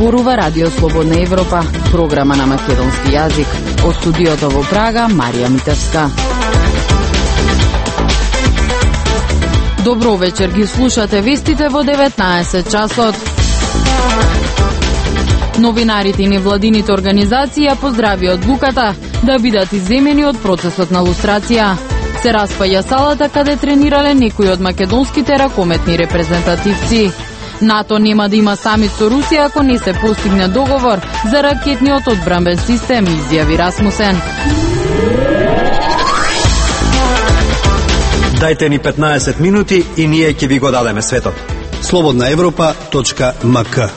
зборува Радио Слободна Европа, програма на македонски јазик. Од студиото во Прага, Марија Митевска. Добро вечер, ги слушате вестите во 19 часот. Новинарите и невладините организации ја поздрави одлуката да бидат изземени од процесот на лустрација. Се распаја салата каде тренирале некои од македонските ракометни репрезентативци. НАТО нема да има самит со Русија ако не се постигне договор за ракетниот одбранбен систем, изјави Расмусен. Дајте ни 15 минути и ние ќе ви го дадеме светот. slobodnaevropa.mk.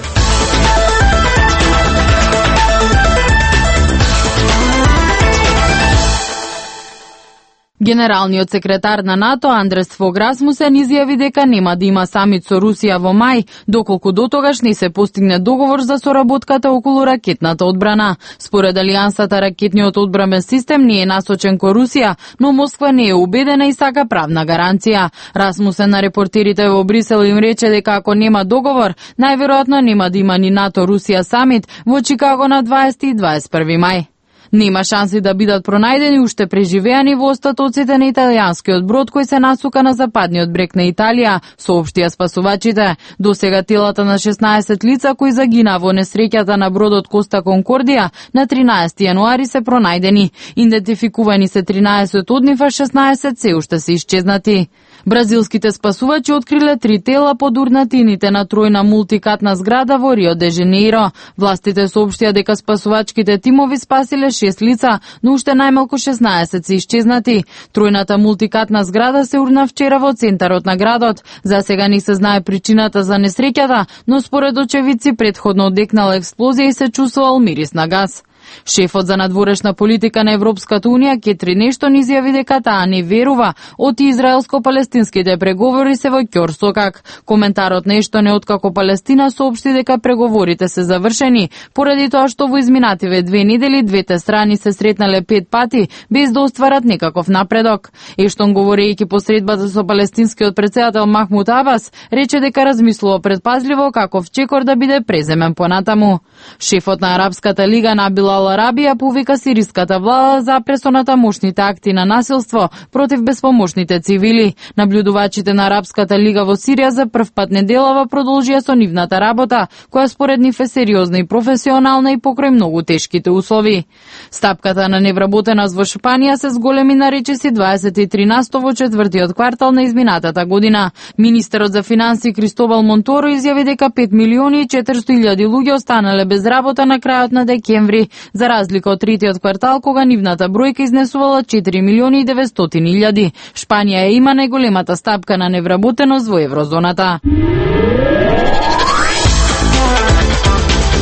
Генералниот секретар на НАТО Андрес Фог Расмусен изјави дека нема да има самит со Русија во мај, доколку дотогаш не се постигне договор за соработката околу ракетната одбрана. Според Алијансата, ракетниот одбранбен систем не е насочен кон Русија, но Москва не е убедена и сака правна гаранција. Расмусен на репортерите во Брисел им рече дека ако нема договор, најверојатно нема да има ни НАТО-Русија самит во Чикаго на 20 и 21 мај. Нема шанси да бидат пронајдени уште преживеани во остатоците на италијанскиот брод кој се насука на западниот брег на Италија, соопштија спасувачите. Досега телата на 16 лица кои загина во несреќата на бродот Коста Конкордија на 13 јануари се пронајдени. Идентификувани се 13 од нив, а 16 се уште се исчезнати. Бразилските спасувачи откриле 3 тела под урнатините на тројна мултикатна зграда во Рио де Женеиро. Властите соопштија дека спасувачките тимови спасиле 6 лица, но уште најмалку 16 се исчезнати. Тројната мултикатна зграда се урна вчера во центарот на градот. За сега не се знае причината за несреќата, но според очевидци претходно одекнала експлозија и се чувствувал мирис на газ. Шефот за надворешна политика на Европската унија Кетри Нештон изјави дека таа не верува од израелско-палестинските преговори се во ќорсокак. Коментарот Нештон е откако Палестина соопшти дека преговорите се завршени, поради тоа што во изминативе 2 недели двете страни се сретнале 5 пати без да остварат некаков напредок. Ештон, говорејќи по средбата со палестинскиот претседател Махмуд Абас, рече дека размислува предпазливо каков чекор да биде преземен понатаму. Шефот на Арапската лига Набил Ал-Арабија повика сириската влада за пресоната мощните акти на насилство против безпомошните цивили. Наблюдувачите на Арапската лига во Сирија за прв пат неделава продолжија со нивната работа, која според нив е сериозна и професионална и покрај многу тешките услови. Стапката на невработеност во Шпанија се зголеми на речиси 23% во четвртиот квартал на изминатата година. Министерот за финансии Кристобал Монторо изјави дека 5 милиони и 400.000 луѓе останале без работа на крајот на декември, за разлика од третиот квартал кога нивната бројка изнесувала 4 милиони и 900.000. Шпанија има најголемата стапка на невработеност во еврозоната.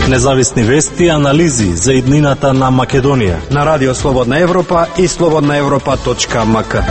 Независни вести и анализи за иднината на Македонија на Радио Слободна Европа и slobodnaevropa.mk.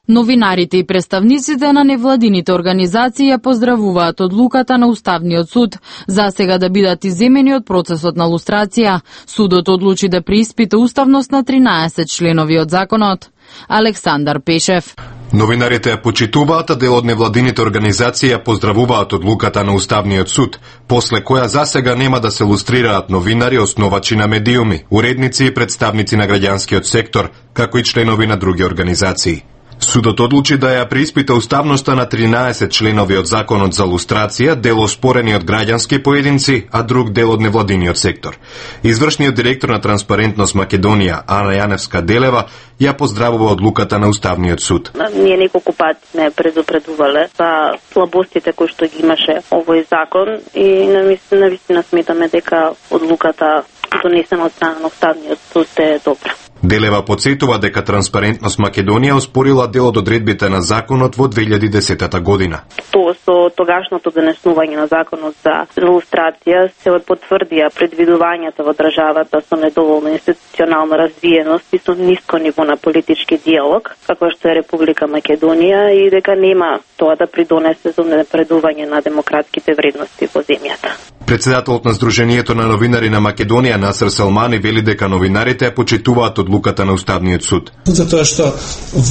Новинарите и представниците на невладините организации ја поздравуваат одлуката на Уставниот суд за сега да бидат изземени од процесот на лустрација. Судот одлучи да преиспита уставност на 13 членови од законот. Александар Пешев. Новинарите ја почитуваат, а дел од невладините организации ја поздравуваат одлуката на Уставниот суд, после која засега нема да се лустрираат новинари, основачи на медиуми, уредници и представници на граѓанскиот сектор, како и членови на други организации. Судот одлучи да ја преиспита уставноста на 13 членови од законот за лустрација, дел оспорени од граѓански поединци, а друг дел од невладиниот сектор. Извршниот директор на Транспарентност Македонија, Ана Јаневска-Делева, ја поздравува одлуката на Уставниот суд. Ние неколку пати сме предупредувале за слабостите кои што ги имаше овој закон и навистина сметаме дека одлуката донесена од страна на Уставниот суд е добра. Делева подсетува дека Транспарентност Македонија оспорила дел од одредбите на законот во 2010 година. Тоа со тогашното донесување на законот за лустрација се потврдија предвидувањата во државата со недоволна институционална развиеност и со ниско ниво на политички диалог, како што е Република Македонија, и дека нема тоа да придонесе за напредување на демократските вредности во земјата. Председателот на Сдруженијето на новинари на Македонија Насер Салмани вели дека новинарите ја почитуваат одлуката на Уставниот суд. Затоа што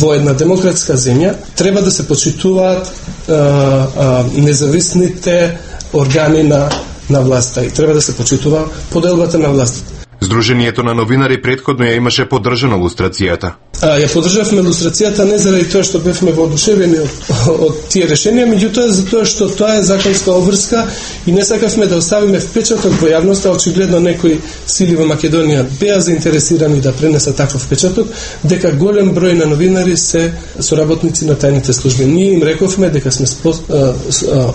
во една демократска земја треба да се почитуваат независните органи на власта и треба да се почитува поделбата на власта. Сдруженијето на новинари претходно ја имаше поддржано лустрацијата. Ја поддржавме лустрацијата не заради тоа што бевме воодушевени од тие решенија, меѓутоа затоа што тоа е законска обврска и не сакавме да оставиме впечаток во јавноста. Очигледно некои сили во Македонија беа заинтересирани да пренесат таков впечаток, дека голем број на новинари се соработници на тајните служби. Ние им рековме дека сме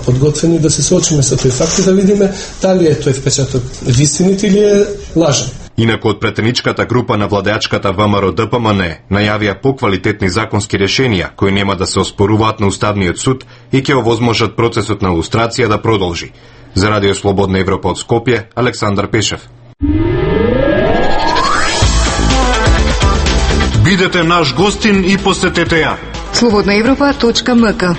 подготвени да се соочиме со тој факт и да видиме дали е тој впечаток вистинит или е лажен. Инаку од претеничката група на владеачката ВМРО-ДПМН најавија поквалитетни законски решенија кои нема да се оспоруваат на Уставниот суд и ќе овозможат процесот на лустрација да продолжи. За Радио Слободна Европа од Скопје, Александар Пешев. Бидете наш гостин и посетете ја. slobodnaevropa.mk.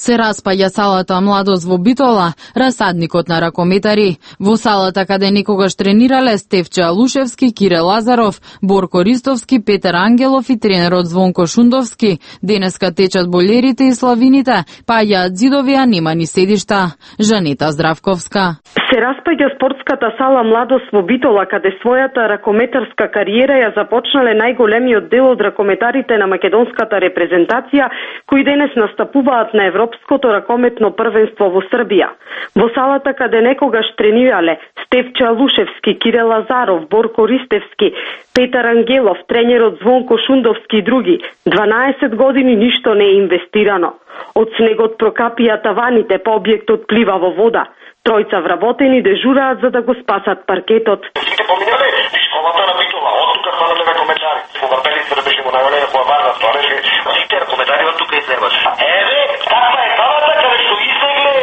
Се распаѓа салата Младост во Битола, расадникот на ракометари. Во салата каде некогаш тренирале Стефче Алушевски, Кире Лазаров, Борко Ристовски, Петар Ангелов и тренерот Звонко Шундовски, денеска течат болерите и славините, паѓаат зидови, а нема ни седишта. Жанета Здравковска. Се распаѓа спортската сала Младост во Битола, каде својата ракометарска кариера ја започнале најголемиот дел од ракометарите на македонската репрезентација, кои денес настапуваат на Европското ракометно првенство во Србија. Во салата каде некогаш тренирале Стефче Алушевски, Кире Лазаров, Борко Ристевски, Петар Ангелов, тренерот Звонко Шундовски и други, 12 години ништо не е инвестирано. Од снегот прокапија таваните, по објектот плива во вода. Тројца вработени дежураат за да го спасат паркетот. Сите поминале школата на Битола, од тука станале ракометари. Кога пелица да беше го навалена, кога варна тоа беше, сите ракометари од тука излегват. Еве, таква е салата каде што излегле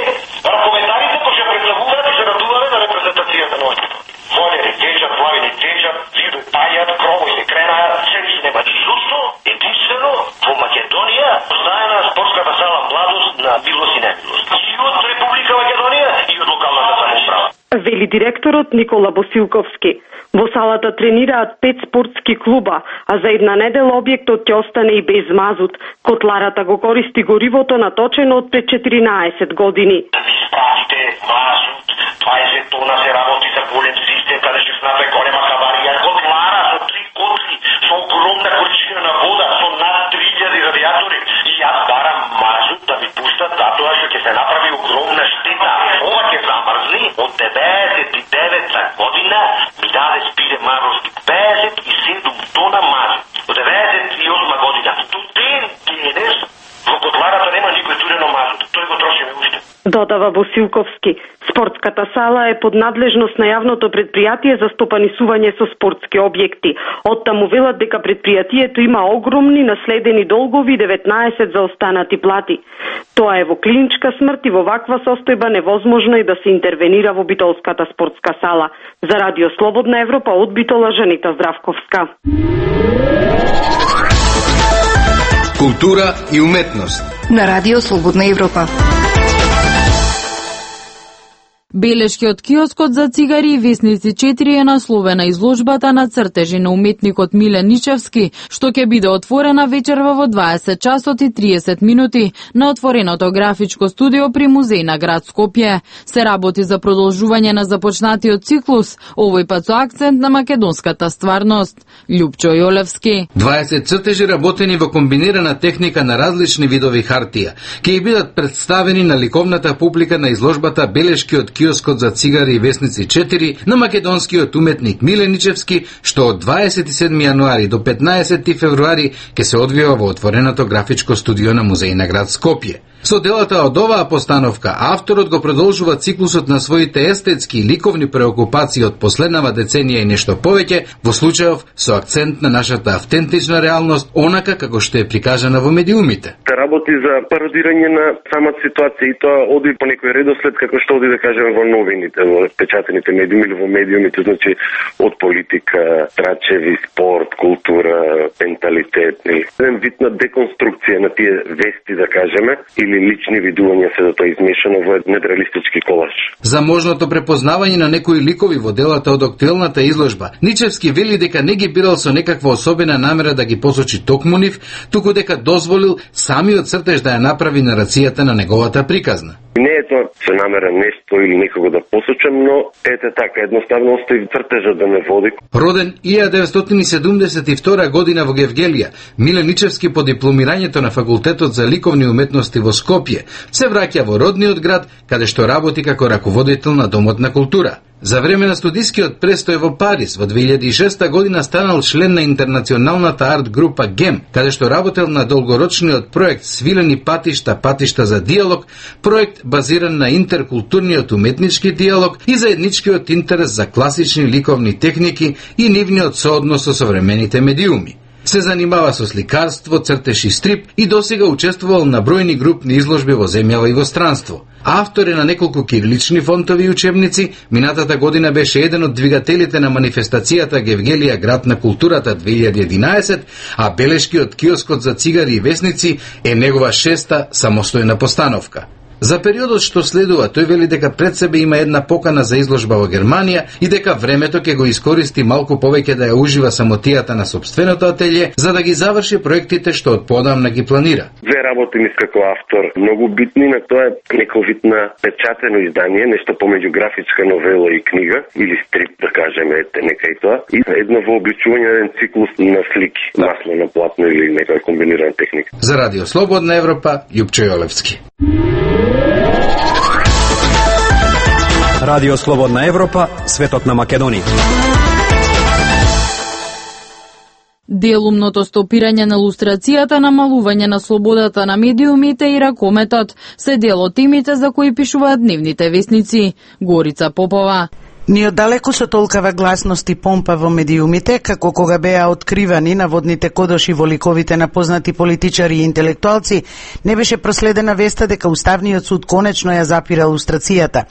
ракометарите кои ќе представуваат и се радувале на репрезентацијата на остата. Волери, течат, плавини, течат, зидови паѓаат, кровој се кренаат, сели се нема. Зошто единствено во Македонија знаена спортската сала Младост на Билос и Небилос. И од Република Македонија и од локалната самоуправа. Вели директорот Никола Босилковски. Во салата тренираат 5 спортски клуба, а за една недела објектот ќе остане и без мазут. Котларата го користи горивото наточено од пред 14 години. Спратите мазут, 20 тона се работи за голем систем, каде ќе снапе голема хаварија. Котлара со 3 котли, со огромна количина на вода, со над 3000 радиатори. И јас барам мазут да ми пуштат, затоа што ќе се направи огромна штета. Ова ќе замрзни од 99 година, ми даде спире Мавровски 57 тона мазут. Од 98 година. До ден денес во котларата нема никој турено мазут. Тој го трошиме уште. Додава Босилковски. Спортската сала е под надлежност на јавното предпријатие за стопанисување со спортски објекти. Оттаму велат дека предпријатието има огромни наследени долгови и 19 заостанати плати. Тоа е во клиничка смрт и во ваква состојба невозможно е да се интервенира во битолската спортска сала. За Радио Слободна Европа од Битола, Жанета Здравковска. Култура и уметност На Радио Слободна Европа. Белешкиот киоскот за цигари и весници 4 е насловена изложбата на цртежи на уметникот Милен Ничевски, што ќе биде отворена вечерва во 20 часот и 30 минути на отвореното графичко студио при музеј на град Скопје. Се работи за продолжување на започнатиот циклус, овој пат со акцент на македонската стварност. Љупчо Јолевски. 20 цртежи работени во комбинирана техника на различни видови хартија ќе бидат представени на ликовната публика на изложбата Белешкиот киоскот за цигари и весници 4 на македонскиот уметник Милен Ничевски, што од 27 јануари до 15 февруари ќе се одвива во отвореното графичко студио на музеј на град Скопје. Со делата од оваа постановка, авторот го продолжува циклусот на своите естетски и ликовни преокупации од последнава деценија и нешто повеќе, во случајов со акцент на нашата автентична реалност, онака како што е прикажана во медиумите. Работи за пародирање на самата ситуација и тоа оди по некој редослед како што оди да кажеме во новините, во печатените медиуми или во медиумите, значи од политика, трачеви, спорт, култура, менталитет, еден вид на деконструкција на тие вести, да кажеме, или лични видувања се да тоа измешано во недреалистички колаж. За можното препознавање на некои ликови во делата од актуелната изложба, Ничевски вели дека не ги бирал со некаква особена намера да ги посочи токму нив, туку дека дозволил самиот цртеж да ја направи нарацијата на неговата приказна. Не е тоа се намера нешто или некого да посочам, но ете така, едноставно остави цртежа да ме води. Роден 1972 година во Гевгелија, Миле Ничевски по дипломирањето на Факултетот за ликовни уметности во Скопје се враќа во родниот град, каде што работи како раководител на Домот на култура. За време на студискиот престој во Париз, во 2006 година станал член на интернационалната арт група ГЕМ, каде што работел на долгорочниот проект Свилени патишта, патишта за диалог, проект базиран на интеркултурниот уметнички диалог и заедничкиот интерес за класични ликовни техники и нивниот сооднос со современите медиуми. Се занимава со сликарство, цртеж и стрип и досега учествувал на бројни групни изложби во земјава и во странство. Автор е на неколку кирилични фонтови и учебници, минатата година беше еден од двигателите на манифестацијата Гевгелија град на културата 2011, а белешки од киоскот за цигари и весници е негова 6-та самостојна постановка. За периодот што следува, тој вели дека пред себе има една покана за изложба во Германија и дека времето ќе го искористи малку повеќе да ја ужива самотијата на собственото ателје, за да ги заврши проектите што од подамна ги планира. Две работи ми како автор многу битни, на тоа е некој вид на печатено издание, нешто помеѓу графичка новела и книга, или стрип, да кажеме, нека и тоа, и едно вообличување на еден циклус на слики, масло на платно или некоја комбинирана техника. За Радио Слободна Европа, Јупчо Јолевски. Радио Слободна Европа, светот на Македонија. Делумното стопирање на лустрацијата, намалување на слободата на медиумите и ракометот се дел од темите за кои пишуваат дневните весници. Горица Попова. Ни оддалеку со толкава гласност и помпа во медиумите, како кога беа откривани наводните кодоши во ликовите на познати политичари и интелектуалци, не беше проследена веста дека Уставниот суд конечно ја запира лустрацијата.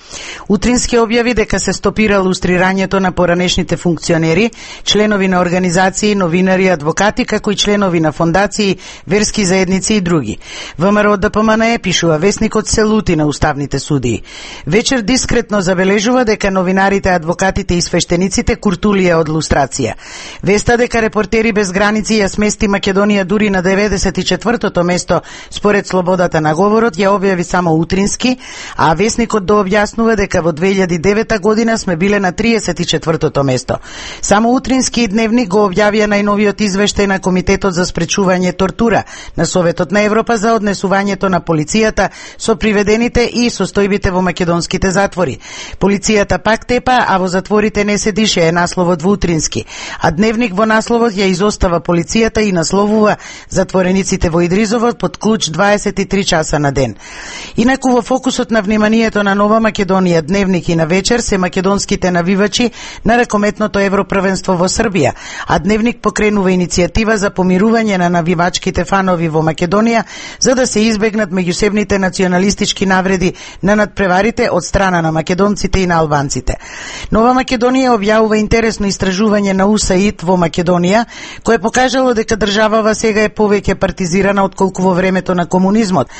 Утрински објави дека се стопира лустрирањето на поранешните функционери, членови на организации, новинари, адвокати, како и членови на фондации, верски заедници и други. ВМРО ДПМН пишува весникот се лути на уставните судии. Вечер дискретно забележува дека новинарите, адвокатите и свештениците куртулија од лустрација. Веста дека Репортери без граници ја смести Македонија дури на 94-то место според слободата на говорот ја објави само Утрински, а весникот дообјаснува дека во 2009 година сме биле на 34-то место. Само Утрински и Дневник го објавија најновиот извештај на Комитетот за спречување тортура на Советот на Европа за однесувањето на полицијата со приведените и состојбите во македонските затвори. Полицијата пак тепа, а во затворите не се дише, е насловот во Утрински. А Дневник во насловот ја изостава полицијата и насловува затворениците во Идризовот под клуч 23 часа на ден. Инаку во фокусот на вниманието на Нова Македонија, Дневник и на вечер се македонските навивачи на ракометното Европрвенство во Србија, а Дневник покренува иницијатива за помирување на навивачките фанови во Македонија за да се избегнат меѓусебните националистички навреди на надпреварите од страна на македонците и на албанците. Нова Македонија објавува интересно истражување на УСАИД во Македонија, кое покажало дека државава сега е повеќе партизирана отколку во времето на комунизмот.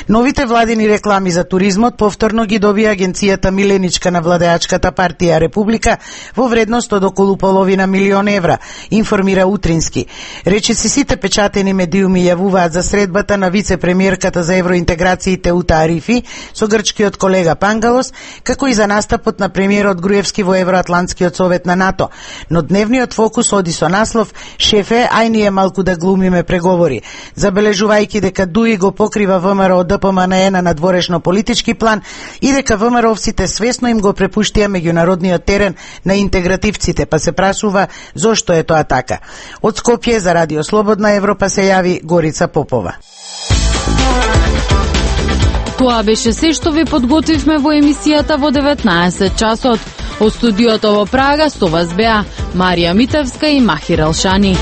Новите владини реклами за туризмот повторно ги добија агенцијата Миленичка на владеачката партија Република во вредност од околу половина милион евра, информира Утрински. Речиси сите печатени медиуми јавуваат за средбата на вице-премиерката за евроинтеграциите Ута Арифи со грчкиот колега Пангалос, како и за настапот на премиерот Груевски во Евроатлантскиот совет на НАТО. Но дневниот фокус оди со наслов "Шефе, ај ние малку да глумиме преговори", забележувајќи дека ДУИ го покрива ВМРО ДПМН на надворешно политички план и дека ВМРО-овците свесно им го препуштија меѓународниот терен на интегративците, па се прашува зошто е тоа така. Од Скопје за Радио Слободна Европа се јави Горица Попова. Тоа беше се што ви подготвивме во емисијата во 19 часот. Од студиото во Прага со вас беа Марија Митевска и Махир Алшани.